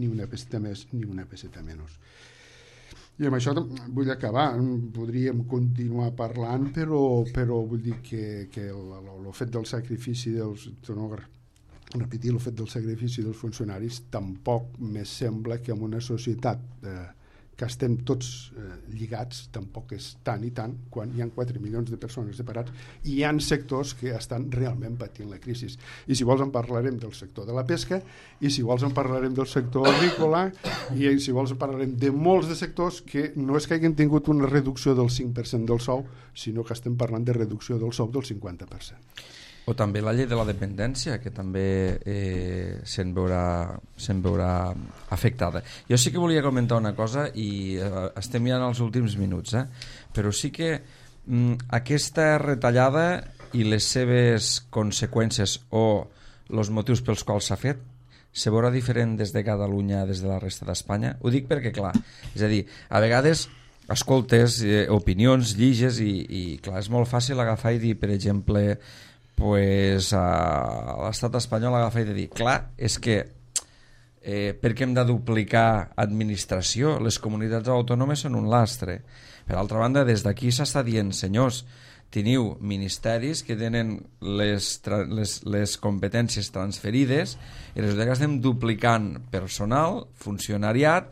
més ni una peseta menys. I amb això vull acabar, podríem continuar parlant, però vull dir que el fet del sacrifici repetir el fet del sacrifici dels funcionaris tampoc me sembla que en una societat que estem tots lligats tampoc és tant i tant quan hi ha 4 milions de persones separats i hi ha sectors que estan realment patint la crisi. I si vols en parlarem del sector de la pesca, i si vols en parlarem del sector agrícola, i si vols en parlarem de molts de sectors que no és que hagin tingut una reducció del 5% del sou, sinó que estem parlant de reducció del sou del 50%. O també la llei de la dependència, que també se'n veurà afectada. Jo sí que volia comentar una cosa, i estem ja en els últims minuts, però sí que aquesta retallada i les seves conseqüències o els motius pels quals s'ha fet se veurà diferent des de Catalunya, des de la resta d'Espanya. Ho dic perquè, clar, és a dir, a vegades escoltes opinions, lliges, i clar, és molt fàcil agafar i dir, per exemple, pues, a l'estat espanyol agafar i dir, clar, és que per què hem de duplicar administració? Les comunitats autònomes són un lastre. Per altra banda, des d'aquí s'està dient, senyors, teniu ministeris que tenen les competències transferides i resulta que estem duplicant personal, funcionariat,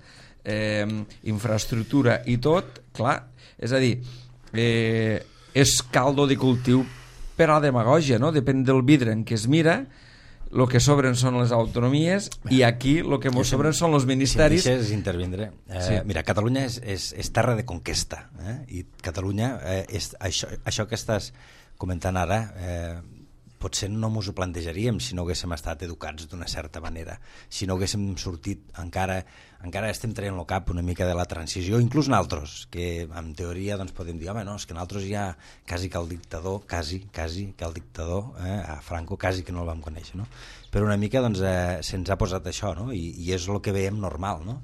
infraestructura i tot, clar, és a dir, és caldo de cultiu per a la demagògia, no? Depèn del vidre en què es mira, el que sobren són les autonomies i aquí el que ens sobren són els ministeris. Si em deixes intervindre. Sí. Mira, Catalunya és terra de conquesta, i Catalunya, això que estàs comentant ara, potser no ens ho plantejaríem si no haguéssim estat educats d'una certa manera, si no haguéssim sortit, encara estem traient el cap una mica de la transició, inclús nosaltres, que en teoria doncs, podem dir, home, no, és que nosaltres ja quasi que el dictador, a Franco quasi que no el vam conèixer, no? Però una mica doncs, se'ns ha posat això, no? I és el que veiem normal, no?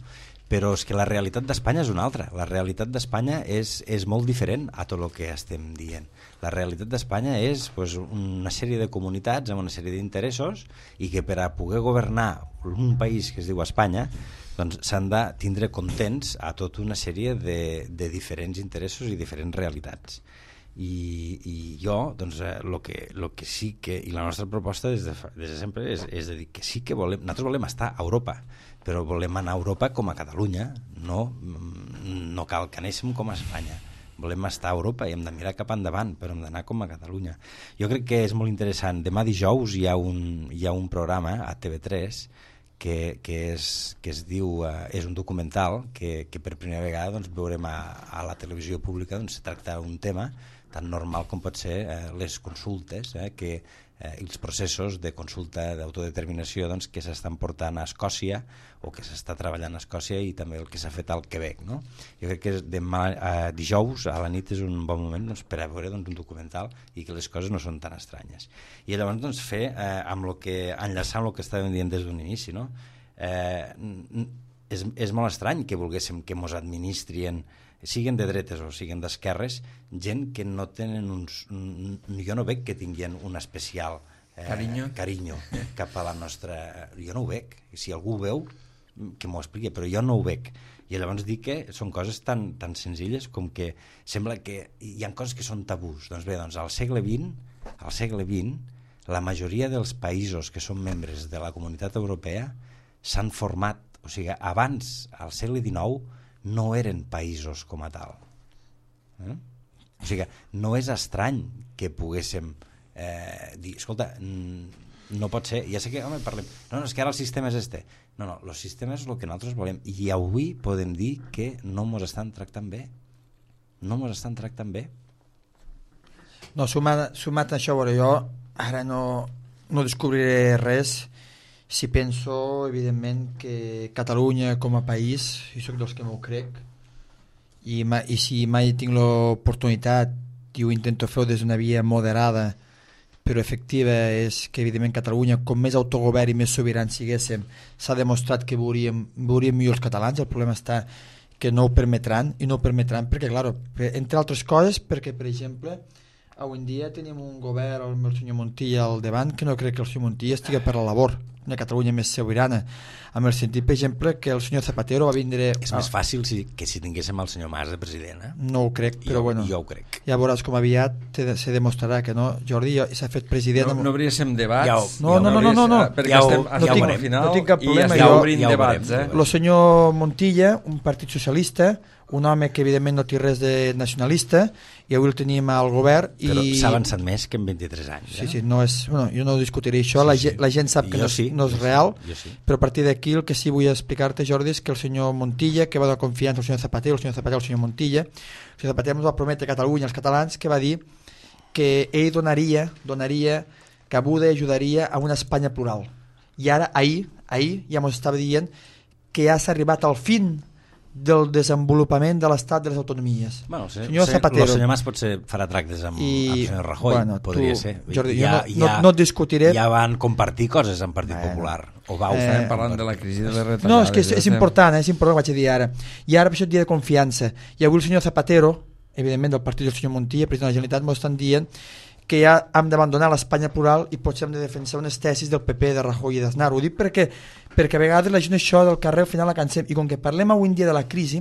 Però és que la realitat d'Espanya és una altra. La realitat d'Espanya és molt diferent a tot el que estem dient. La realitat d'Espanya és pues, una sèrie de comunitats amb una sèrie d'interessos i que per a poder governar un país que es diu Espanya doncs, s'han de tindre contents a tota una sèrie de diferents interessos i diferents realitats. I jo, doncs, lo que sí que... I la nostra proposta des de sempre és de dir que sí que nosaltres volem estar a Europa, però volem anar a Europa com a Catalunya, no cal que anéssim com a Espanya. Volem estar a Europa i hem de mirar cap endavant, però hem d'anar com a Catalunya. Jo crec que és molt interessant. Demà dijous hi ha un programa a TV3 que es diu, és un documental que per primera vegada doncs, veurem a la televisió pública doncs, tractar un tema tan normal com pot ser les consultes i els processos de consulta d'autodeterminació doncs, que s'estan portant a Escòcia o que s'està treballant a Escòcia i també el que s'ha fet al Quebec. No? Jo crec que demà, dijous a la nit és un bon moment doncs, per a veure doncs, un documental i que les coses no són tan estranyes. I llavors doncs, enllaçar amb el que estàvem dient des d'un inici, no? És molt estrany que volguéssim que ens administrin, siguin de dretes o siguin d'esquerres, gent que no tenen jo no veig que tinguin un especial carinyo cap a la nostra... Jo no ho veig. Si algú ho veu, que m'ho expliqui, però jo no ho veig. I llavors dic que són coses tan senzilles com que sembla que hi ha coses que són tabús. Doncs bé, doncs al segle XX, la majoria dels països que són membres de la Comunitat Europea s'han format, o sigui, abans, al segle XIX, no eren països com a tal. O sigui, no és estrany que poguéssim dir, escolta, no pot ser, ja sé que, home, parlem, no, és que ara el sistema és este. No, el sistema és el que nosaltres volem i avui podem dir que no ens estan tractant bé. No ens estan tractant bé. No, sumat a això, veure, jo ara no descobriré res si penso, evidentment, que Catalunya com a país, jo soc dels que m'ho crec, i si mai tinc l'oportunitat i ho intento fer des d'una via moderada però efectiva, és que evidentment Catalunya, com més autogovern i més sobirans siguéssim, s'ha demostrat que veuríem millor els catalans. El problema està que no ho permetran, i no ho permetran perquè, clar, entre altres coses, perquè, per exemple, avui en dia tenim un govern amb el senyor Montilla al davant que no crec que el senyor Montilla estigui per la labor, una Catalunya més sobirana, amb el sentit, per exemple, que el senyor Zapatero va vindre... És més fàcil que si tinguéssim el senyor Mas de president, eh? No ho crec, però bueno. Jo ho crec. Ja veuràs com aviat se demostrarà que no. Jordi s'ha fet president... No hauríem debats? No. Perquè estem al final no tinc cap problema. I ja obrim debats. El senyor Montilla, un partit socialista, un home que evidentment no té res de nacionalista, i avui el tenim al govern però s'ha avançat més que en 23 anys. Sí, no és, bueno, jo no discutiré això, la gent sap que no és real, però a partir d'aquí el que sí vull explicar-te, Jordi, és que el senyor Montilla, que va donar confiança al senyor Zapatero, el senyor Montilla, el senyor Zapatero ens va prometre a Catalunya, als catalans, que va dir que ell donaria cabuda i ajudaria a una Espanya plural. I ara, ahir ja ens estava dient que ja s'ha arribat al fin del desenvolupament de l'estat de les autonomies. Bueno, senyor Zapatero. El senyor Mas potser farà tractes amb el senyor Rajoy, podria ser. Jordi, no et discutiré. Ja van compartir coses amb Partit Popular. O estàvem parlant de la crisi de les retallades. No, és que és important, vaig a dir ara. I ara per això et dia de confiança. I avui el senyor Zapatero, evidentment del partit del senyor Montilla, president de la Generalitat, m'ho estan dient que ja hem d'abandonar l'Espanya plural i potser hem de defensar unes tesis del PP, de Rajoy i d'Aznar. Ho dic perquè a vegades la gent això del carrer al final la cansem, i com que parlem avui en dia de la crisi,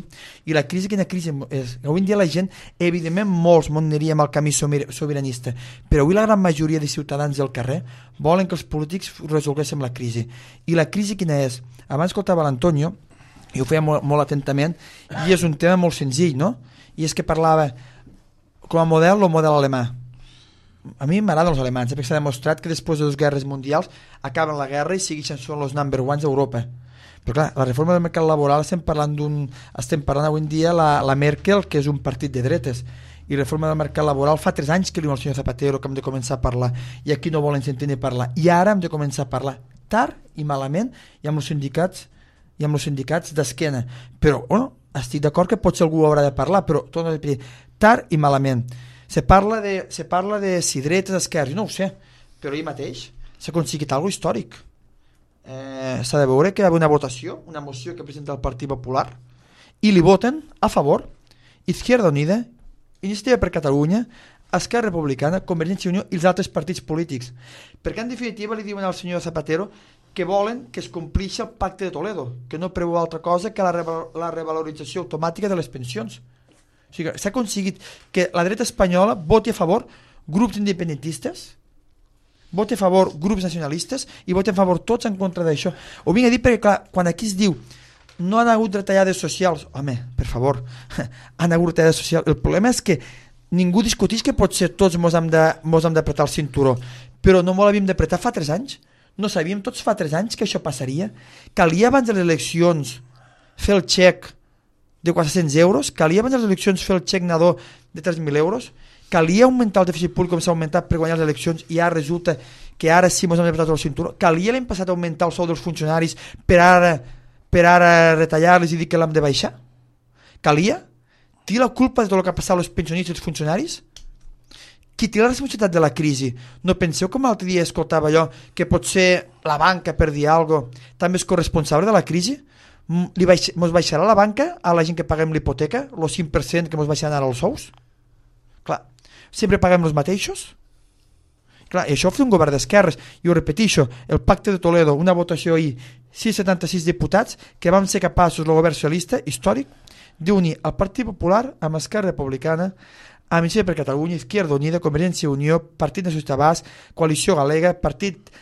i la crisi quina crisi és? Avui en dia la gent, evidentment molts aniríem al camí sobiranista, però avui la gran majoria de ciutadans del carrer volen que els polítics resolguéssim la crisi. I la crisi quina és? Abans escoltava l'Antonio, i ho feia molt atentament, i és un tema molt senzill, no? I és que parlava com a model, el model alemà. A mi m'agraden els alemans, perquè s'ha demostrat que després de 2 guerres mundials acaben la guerra i segueixen són els number ones d'Europa. Però clar, la reforma del mercat laboral estem parlant avui en dia la Merkel, que és un partit de dretes, i la reforma del mercat laboral fa 3 anys que diu el senyor Zapatero que hem de començar a parlar, i aquí no volen sentir ni parlar, i ara hem de començar a parlar tard i malament, i amb els sindicats d'esquena. Però bueno, estic d'acord que potser algú haurà de parlar, però torno a dir, tard i malament. Se parla de si dretes, esquerres, no ho sé, però ahir mateix s'ha aconseguit alguna cosa històric. S'ha de veure que hi ha una votació, una moció que presenta el Partit Popular, i li voten a favor Izquierda Unida, Iniciativa per Catalunya, Esquerra Republicana, Convergència i Unió i els altres partits polítics. Perquè en definitiva li diuen al senyor Zapatero que volen que es complixi el pacte de Toledo, que no preveu altra cosa que la revalorització automàtica de les pensions. O sigui, s'ha aconseguit que la dreta espanyola voti a favor grups independentistes, voti a favor grups nacionalistes i voti a favor tots en contra d'això. Ho vinc a dir perquè, clar, quan aquí es diu no han hagut retallades socials, home, per favor, han hagut retallades socials. El problema és que ningú discuteix que potser tots mos hem d'apretar el cinturó, però no m'ho l'havíem d'apretar fa 3 anys. No sabíem tots fa 3 anys que això passaria. Calia abans de les eleccions fer el xec de 400 euros, calia abans de les eleccions fer el xec nadó de 3.000 euros, calia augmentar el dèficit públic com s'ha augmentat per guanyar les eleccions i ara resulta que ara sí ens hem apretat el cinturó, calia l'any passat augmentar el sou dels funcionaris per ara retallar-les i dir que l'hem de baixar, calia? Té la culpa de tot el que ha passat als pensionistes i als funcionaris? Qui té la responsabilitat de la crisi? No penseu com l'altre dia escoltava allò que potser la banca, per dir alguna cosa, també és corresponsable de la crisi? Mos baixarà la banca a la gent que paguem l'hipoteca, el 5% que mos baixaran ara els sous? Clar, sempre paguem els mateixos? Clar, i això ho fa un govern d'esquerres, i ho repeteixo, el pacte de Toledo, una votació ahir, 676 diputats que vam ser capaços, el govern socialista històric, d'unir el Partit Popular amb Esquerra Republicana, amb Iniciativa per Catalunya, Izquierda Unida, Convergència i Unió, Partit Nacionalista Basc, Coalició Galega, Partit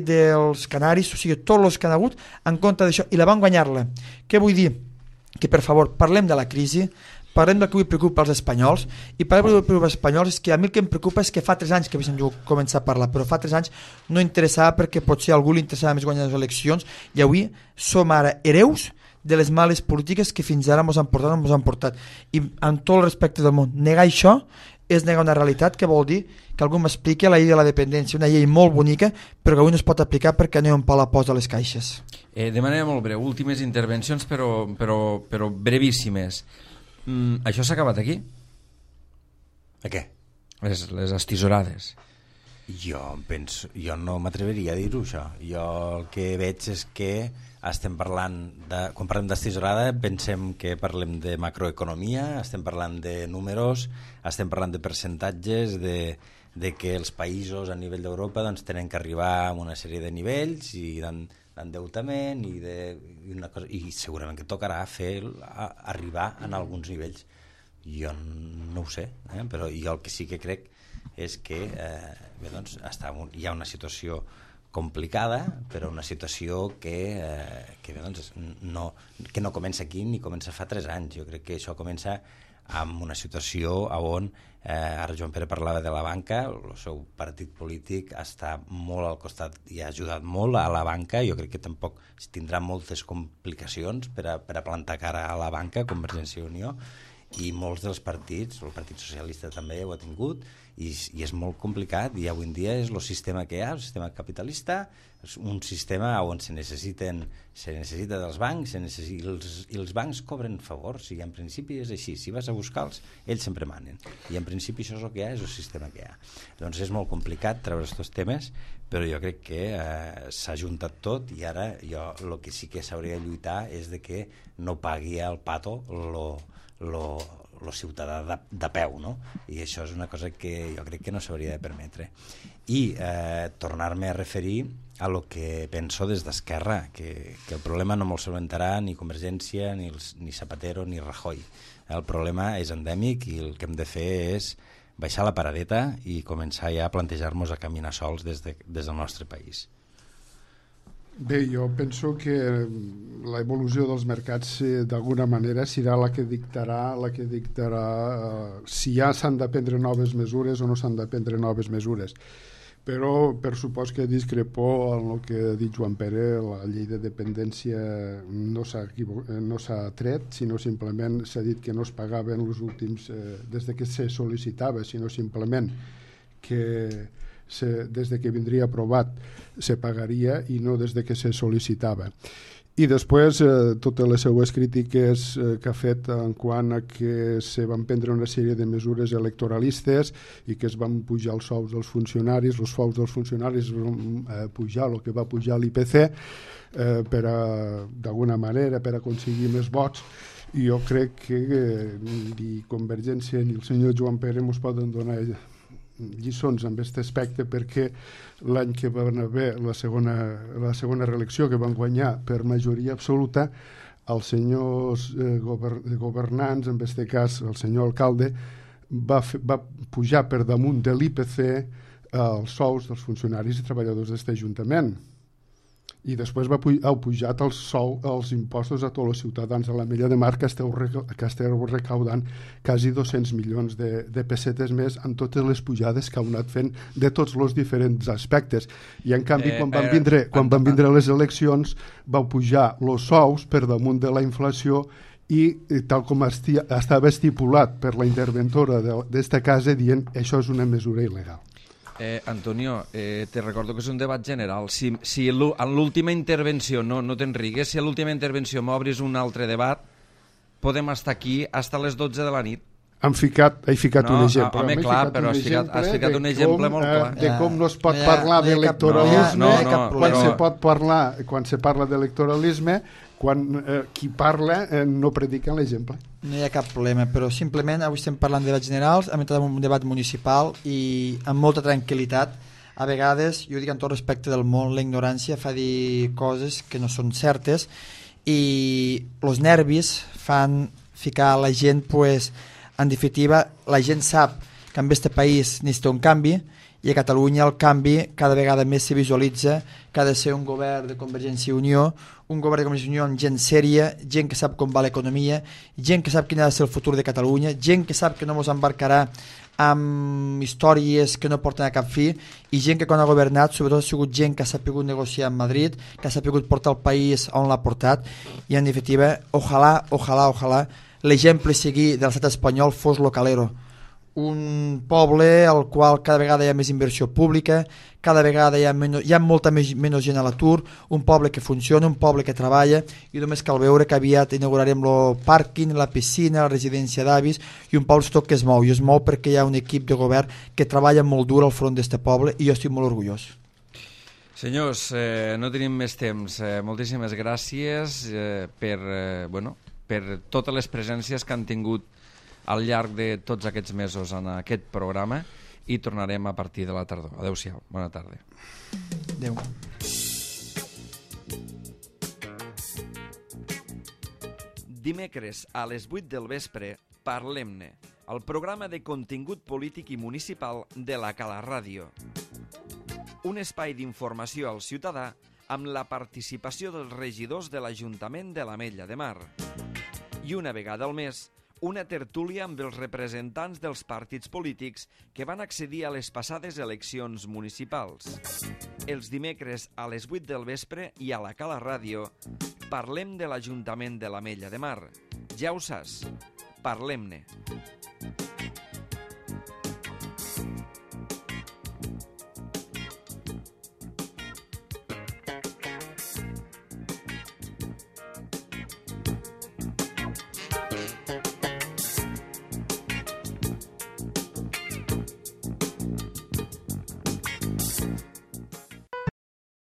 dels Canaris, o sigui, tots els que han hagut en contra d'això, i la van guanyar-la. Què vull dir? Que, per favor, parlem de la crisi, parlem del que avui preocupa als espanyols, i parlem del que preocupa als espanyols, és que a mi el que em preocupa és que fa 3 anys que havíem començat a parlar, però fa 3 anys no interessava perquè potser a algú li interessava més guanyar les eleccions, i avui som ara hereus de les males polítiques que fins ara ens han portat. I amb tot el respecte del món, negar això és negar una realitat que vol dir que algú m'expliqui la llei de la dependència, una llei molt bonica, però que avui no es pot aplicar perquè no hi ha un pal a posa a les caixes. De manera molt breu, últimes intervencions, però brevíssimes. Això s'ha acabat aquí? A què? Les estisorades. Jo no m'atreveria a dir-ho, això. Jo el que veig és que estem parlant quan parlem d'estisorada pensem que parlem de macroeconomia, estem parlant de números, estem parlant de percentatges, de que els països a nivell d'Europa doncs, tenen que arribar a una sèrie de nivells i d'endeutament i segurament que tocarà arribar en alguns nivells. Jo no ho sé, però jo el que sí que crec és que hi ha una situació complicada, però una situació que no comença aquí ni comença fa 3 anys. Jo crec que això comença amb una situació on ara Joan Pere parlava de la banca, el seu partit polític està molt al costat i ha ajudat molt a la banca. Jo crec que tampoc tindrà moltes complicacions per a plantar cara a la banca, Convergència i Unió, i molts dels partits, el Partit Socialista també ho ha tingut, i és molt complicat, i avui en dia és el sistema que hi ha, el sistema capitalista, és un sistema on se necessita dels bancs, i els bancs cobren favors, i en principi és així, si vas a buscar-los, ells sempre manen, i en principi això és el que hi ha, és el sistema que hi ha. Doncs és molt complicat treure aquests temes, però jo crec que s'ha juntat tot, i ara el que sí que s'hauria de lluitar és de que no pagui el pato el ciutadà de peu, no? I això és una cosa que jo crec que no s'hauria de permetre. I tornar-me a referir a lo que penso des d'Esquerra, que el problema no me'l solventarà ni Convergència, ni Zapatero, ni Rajoy. El problema és endèmic i el que hem de fer és baixar la paradeta i començar ja a plantejar-nos a caminar sols des del nostre país. Bé, jo penso que l'evolució dels mercats d'alguna manera serà la que dictarà si ja s'han de prendre noves mesures o no s'han de prendre noves mesures. Però per supost que discrepo en el que ha dit Joan Pere, la llei de dependència no s'ha tret, sinó simplement s'ha dit que no es pagaven els últims des de que se sol·licitava, sinó simplement que des de que vindria aprovat se pagaria i no des de que se sol·licitava. I després totes les seues crítiques que ha fet en quant a que se van prendre una sèrie de mesures electoralistes i que es van pujar els sous dels funcionaris, els sous dels funcionaris van pujar el que va pujar l'IPC d'alguna manera per aconseguir més vots. I jo crec que ni Convergència ni el senyor Joan Pere ens poden donar lliçons en aquest aspecte, perquè l'any que van haver la segona reelecció, que van guanyar per majoria absoluta, els senyors governants, en aquest cas el senyor alcalde, va pujar per damunt de l'IPC els sous dels funcionaris i treballadors d'aquest ajuntament. I després ha pujat els impostos a tots els ciutadans de l'Ametlla de Mar, que esteu recaudant quasi 200 milions de pessetes més amb totes les pujades que heu anat fent de tots els diferents aspectes. I en canvi, quan van vindre les eleccions, vau pujar els sous per damunt de la inflació i tal com estava estipulat per la interventora d'esta casa dient això és una mesura il·legal. Antonio, te recordo que és un debat general. Si en l'última intervenció, no te'n rigues, si a l'última intervenció m'obris un altre debat, podem estar aquí fins a les 12 de la nit. He ficat un exemple. Home, clar, però has ficat un exemple molt clar. De com no es pot parlar d'electoralisme, quan se parla d'electoralisme, quan qui parla no predica l'exemple. No hi ha cap problema, però simplement avui estem parlant de debats generals, hem entrat en un debat municipal i amb molta tranquil·litat. A vegades, jo dic amb tot respecte del món, la ignorància fa dir coses que no són certes i els nervis fan ficar la gent, pues, en definitiva, la gent sap que en aquest país necessita un canvi i a Catalunya el canvi cada vegada més se visualitza que ha de ser un govern de Convergència i Unió, un govern de Convergència i Unió amb gent sèria, gent que sap com va l'economia, gent que sap quin ha de ser el futur de Catalunya, gent que sap que no ens embarcarà amb històries que no porten a cap fi i gent que quan ha governat sobretot ha sigut gent que ha sapigut negociar amb Madrid, que ha sapigut portar el país on l'ha portat i en definitiva, ojalà l'exemple a seguir de l'estat espanyol fos lo Calero, un poble al qual cada vegada hi ha més inversió pública, cada vegada hi ha molta menys gent a l'atur, un poble que funciona, un poble que treballa, i només cal veure que aviat inaugurarem el pàrquing, la piscina, la residència d'avis, i un poble que es mou, i es mou perquè hi ha un equip de govern que treballa molt dur al front d'aquest poble, i jo estic molt orgullós. Senyors, no tenim més temps. Moltíssimes gràcies per totes les presències que han tingut al llarg de tots aquests mesos en aquest programa, i tornarem a partir de la tardor. Adéu-siau, bona tarda. Adéu. Dimecres a les 8 del vespre, Parlem-ne, el programa de contingut polític i municipal de la Cala Ràdio. Un espai d'informació al ciutadà amb la participació dels regidors de l'Ajuntament de l'Ametlla de Mar. I una vegada al mes, una tertúlia amb els representants dels partits polítics que van accedir a les passades eleccions municipals. Els dimecres a les 8 del vespre i a la Cala Ràdio parlem de l'Ajuntament de l'Ametlla de Mar. Ja ho saps, parlem-ne.